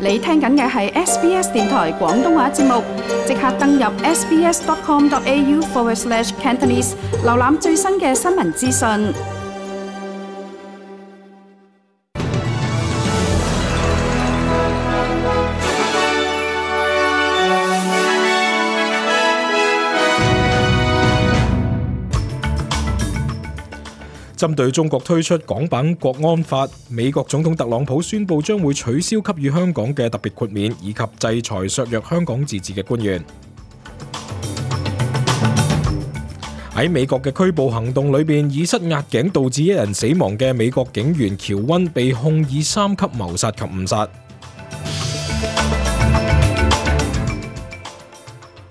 你聽緊嘅係 SBS 電台廣東話節目，即刻登入 sbs.com.au/Cantonese 瀏覽最新嘅新聞資訊。針對中國推出港版國安法，美國總統特朗普宣布將會取消給予香港嘅特別豁免，以及制裁削弱香港自治嘅官員。喺美國嘅拘捕行動裏邊，以塞壓頸導致一人死亡嘅美國警員喬溫被控以3級謀殺及誤殺。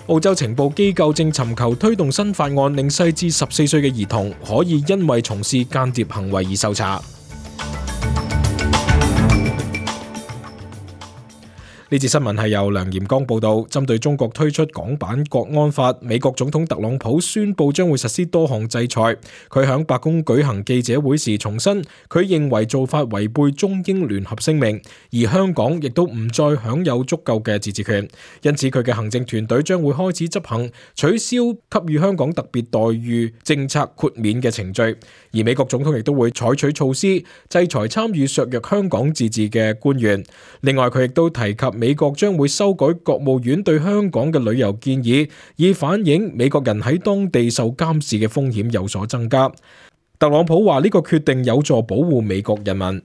澳洲情報機構正尋求推動新法案，令細至14歲嘅兒童可以因為從事間諜行為而受查。呢節新聞係由梁炎剛報道。針對中國推出港版國安法，美國總統特朗普宣布將會實施多項制裁。佢響白宮舉行記者會時重申，佢認為做法違背中英聯合聲明，而香港亦都唔再享有足夠嘅自治權，因此佢嘅行政團隊將會開始執行取消給予香港特別待遇政策豁免嘅程序。而美國總統亦都會採取措施制裁參與削弱香港自治嘅官員。另外，佢亦都提及美國將會修改國務院對香港嘅旅遊建議，以反映美國人喺當地受監視嘅風險有所增加。特朗普話呢個決定有助保護美國人民。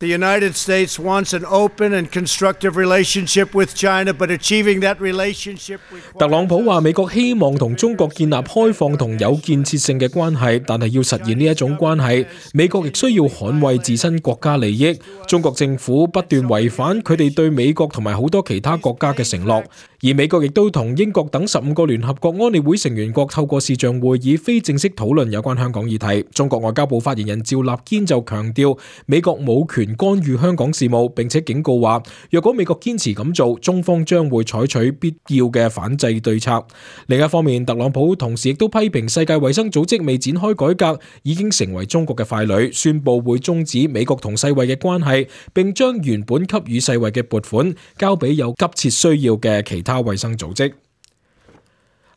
The United States wants an open and constructive relationship with China, but achieving that relationship requires... 特朗普話美國希望同中國建立開放同有建設性嘅關係，但係要實現呢一種關係，美國亦需要捍衛自身國家利益。中國政府不斷違反佢哋對美國同埋好多其他國家嘅承諾，而美國亦都同英國等15個聯合國安理會成員國透過視像會議非正式討論有關香港議題。中國外交部發言人趙立堅就強調，美國冇權干預香港事務，並且警告話，若果美國堅持咁做，中方將會採取必要嘅反制對策。另一方面，特朗普同時亦都批評世界衛生組織未展開改革，已經成為中國嘅傀儡，宣布會終止美國同世衛嘅關係，並將原本給予世衛嘅撥款交俾有急切需要嘅其他衛生組織。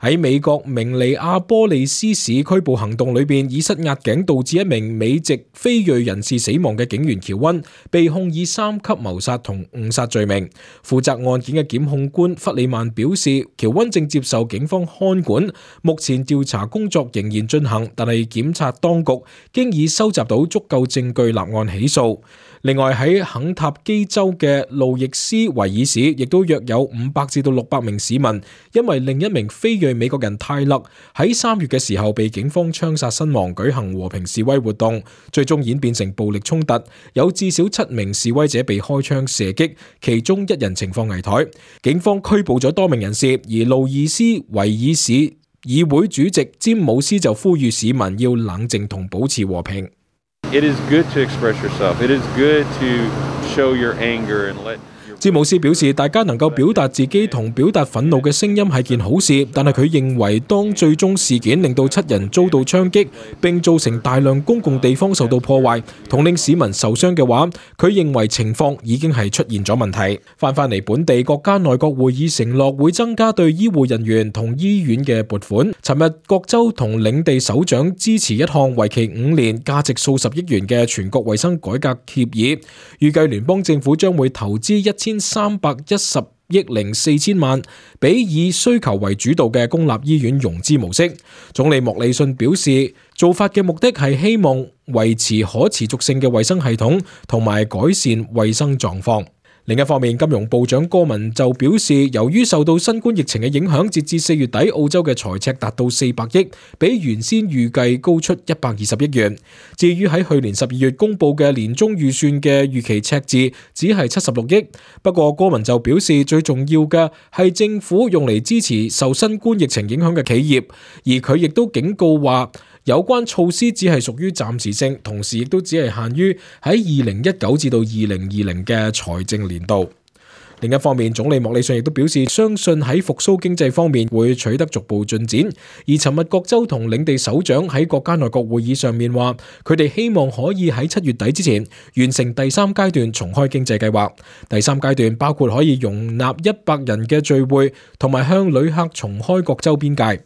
喺美國明尼阿波利斯市拘捕行動裏邊，以塞壓頸導致一名美籍非裔人士死亡嘅警員喬溫被控以3級謀殺同誤殺罪名。負責案件嘅檢控官弗里曼表示，喬溫正接受警方看管，目前調查工作仍然進行，但係檢察當局經已收集到足夠證據立案起訴。另外喺肯塔基州嘅路易斯維爾市，亦都約有500至到600名市民因為另一名非裔美國人泰勒喺3月嘅時候被警方槍殺身亡，舉行和平示威活動，最終演變成暴力衝突，有至少7名示威者被開槍射擊，其中1人情況危殆。警方拘捕咗多名人士，而路易斯維爾市議會主席詹姆斯就呼籲市民要冷靜同保持和平。It is good to express yourself. It is good to show your anger and let... 詹姆斯表示，大家能夠表達自己同表達憤怒嘅聲音係件好事，但係佢認為當最終事件令到7人遭到槍擊，並造成大量公共地方受到破壞，同令市民受傷嘅話，佢認為情況已經係出現咗問題。翻嚟本地，國家內閣會議承諾會增加對醫護人員同醫院嘅撥款。尋日各州同領地首長支持一項為期5年、價值數十億元嘅全國衛生改革協議，預計聯邦政府將會投資1310億4000萬俾以需求為主導嘅公立醫院融資模式。總理莫里遜表示，做法嘅目的係希望維持可持續性嘅衛生系統同埋改善衛生狀況。另一方面，金融部長戈文就表示，由於受到新冠疫情嘅影響，截至4月底，澳洲嘅財赤達到400億，比原先預計高出120億元。至於喺去年12月公布嘅年中預算嘅預期赤字，只係76億。不過戈文就表示，最重要嘅係政府用嚟支持受新冠疫情影響嘅企業，而佢亦都警告話，有關措施只係屬於暫時性，同時亦都只係限於喺2019至到2020嘅財政年度。另一方面，總理莫里遜亦都表示，相信喺復甦經濟方面會取得逐步進展。而尋日各州同領地首長喺國家內閣會議上面話，佢哋希望可以喺7月底之前完成第3階段重開經濟計劃。第3階段包括可以容納100人嘅聚會，同埋向旅客重開各州邊界。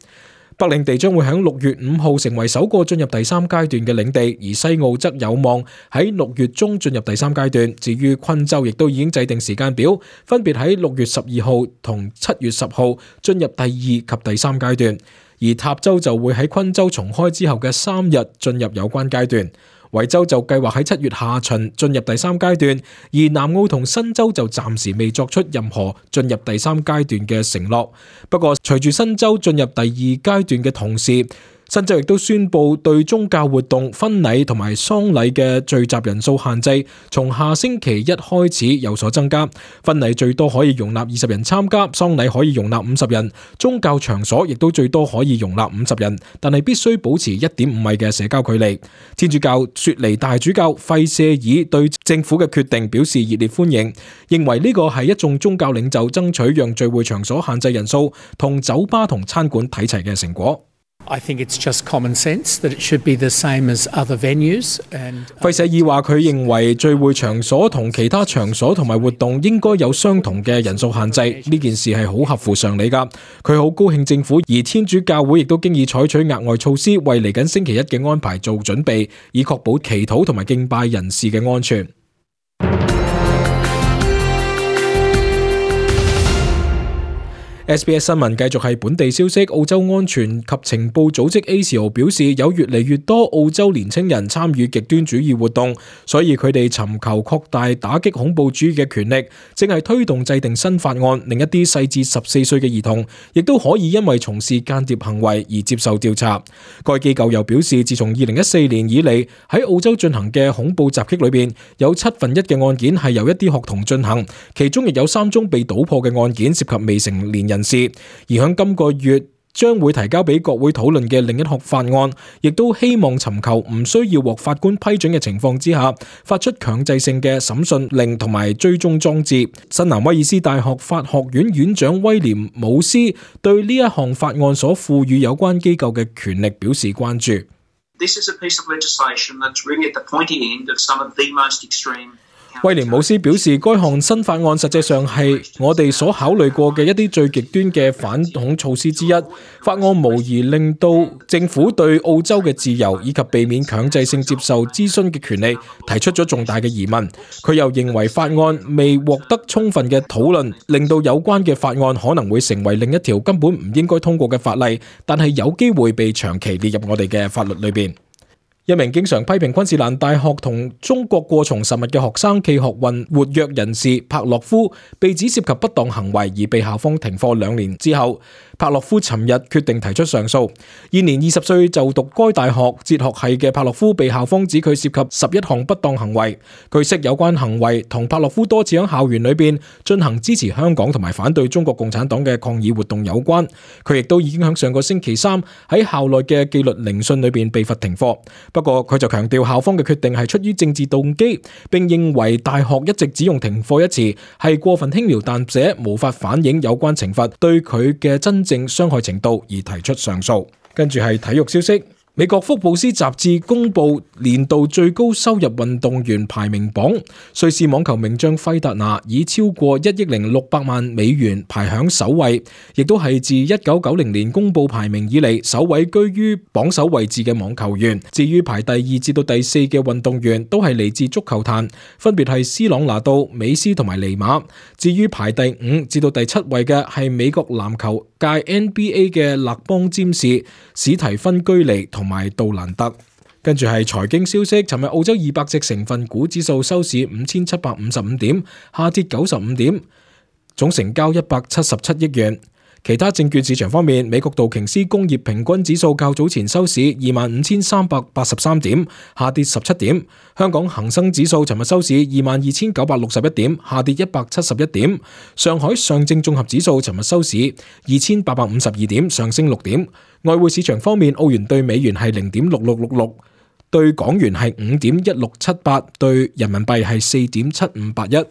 北領地將會喺6月5號成為首個進入第3階段嘅領地，而西澳則有望喺6月中進入第3階段。至於昆州亦都已經制定時間表，分別喺6月12號同7月10號進入第2及第3階段，而塔州就會喺昆州重開之後嘅3日進入有關階段。維州就計劃喺7月下旬進入第3階段，而南澳同新州就暫時未作出任何進入第3階段嘅承諾。不過，隨住新州進入第2階段嘅同時，新州亦都宣布對宗教活動、婚禮同埋喪禮嘅聚集人數限制，從下星期一開始有所增加。婚禮最多可以容納20人參加，喪禮可以容納50人，宗教場所亦都最多可以容納50人，但係必須保持1.5米嘅社交距離。天主教雪梨大主教費舍爾對政府嘅決定表示熱烈歡迎，認為呢個係一眾宗教領袖爭取讓聚會場所限制人數同酒吧同餐館睇齊嘅成果。I think it's just common sense that it should be the same as other venues. 費舍爾話佢認為聚會場所同其他場所同埋活動應該有相同嘅人數限制，呢件事係好合乎常理㗎。佢好高興政府而天主教會亦都經已採取額外措施，為嚟緊星期一嘅安排做準備，以確保祈禱同埋敬拜人士嘅安全。SBS 新聞繼續係本地消息，澳洲安全及情報組織 ASIO 表示，有越嚟越多澳洲年青人參與極端主義活動，所以佢哋尋求擴大打擊恐怖主義嘅權力，正係推動制定新法案，令一啲細至14歲嘅兒童亦都可以因為從事間諜行為而接受調查。該機構又表示，自從2014年以嚟，喺澳洲進行嘅恐怖襲擊裏邊，有1/7嘅案件係由一啲學童進行，其中亦有3宗被搗破嘅案件涉及未成年人士。而喺今個月將會提交俾國會討論嘅另一項法案，亦都希望尋求唔需要獲法官批准嘅情況之下，發出強制性嘅審訊令同埋追蹤裝置。新南威爾斯大學法學院院長威廉姆斯對呢一項法案所賦予有關機構嘅權力表示關注。This is a piece of legislation that's really at the pointy end of some of the most extreme。威廉姆斯表示，該項新法案實際上係我哋所考慮過嘅一啲最極端嘅反恐措施之一。法案無疑令到政府對澳洲嘅自由以及避免強制性接受諮詢嘅權利提出咗重大嘅疑問。佢又認為法案未獲得充分嘅討論，令到有關嘅法案可能會成為另一條根本唔應該通過嘅法例，但係有機會被長期列入我哋嘅法律裏邊。一名經常批評昆士蘭大學同中國過從甚密嘅學生暨學運活躍人士帕洛夫被指涉及不當行為而被校方停課2年之後，帕洛夫尋日決定提出上訴。現年20歲就讀該大學哲學系嘅帕洛夫被校方指佢涉及11項不當行為。據悉有關行為同帕洛夫多次喺校園裏邊進行支持香港同埋反對中國共產黨嘅抗議活動有關。佢亦都已經喺上個星期3喺校內嘅紀律聆訊裏邊被罰停課。不過佢就強調校方嘅決定係出於政治動機，並認為大學一直只用停課一詞係過分輕描淡寫，無法反映有關懲罰對佢嘅真正傷害程度，而提出上訴。跟住係體育消息。美國福布斯雜誌公布年度最高收入運動員排名榜，瑞士網球名將費達拿以超過$1.600,000排響首位，亦都係自1990年公布排名以嚟首位居於榜首位置嘅網球員。至於排第2至到第4嘅運動員都係嚟自足球壇，分別係斯朗拿度、美斯同埋尼馬。至於排第5至到第7位嘅係美國籃球界 NBA 嘅勒邦詹士、史提芬居尼同埋杜蘭特。跟住係財經消息，尋日澳洲200隻成分股指數收市5755點，下跌95點，總成交177億元。其他證券市場方面，美國道瓊斯工業平均指數較早前收市25,383點，下跌17點。香港恒生指數尋日收市22,961點，下跌171點。上海上證綜合指數尋日收市2,852點，上升6點。外匯市場方面，澳元對美元係0.6666，對港元係5.1678，對人民幣係4.7581。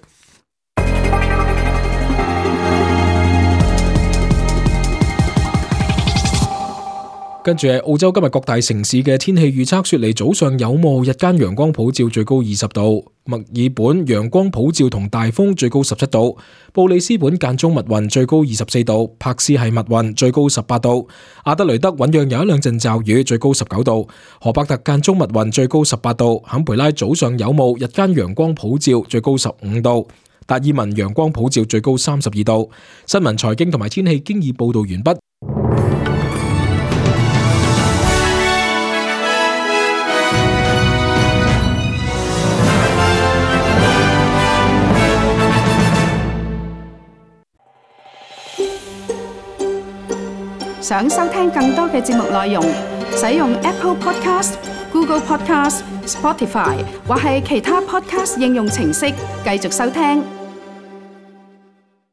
跟住係澳洲今日各大城市嘅天氣預測，雪梨早上有霧，日間陽光普照，最高20度；墨爾本陽光普照同大風，最高17度；布里斯本間中密雲，最高24度；柏斯係密雲，最高18度；阿德雷德醞釀有一兩陣驟雨，最高19度；荷伯特間中密雲，最高18度；坎培拉早上有霧，日間陽光普照，最高15度；達爾文陽光普照，最高32度。新聞、財經同埋天氣經已報道完畢。想收聽更多嘅節目內容，使用 Apple Podcast、Google Podcast、Spotify 或係其他 Podcast 應用程式繼續收聽。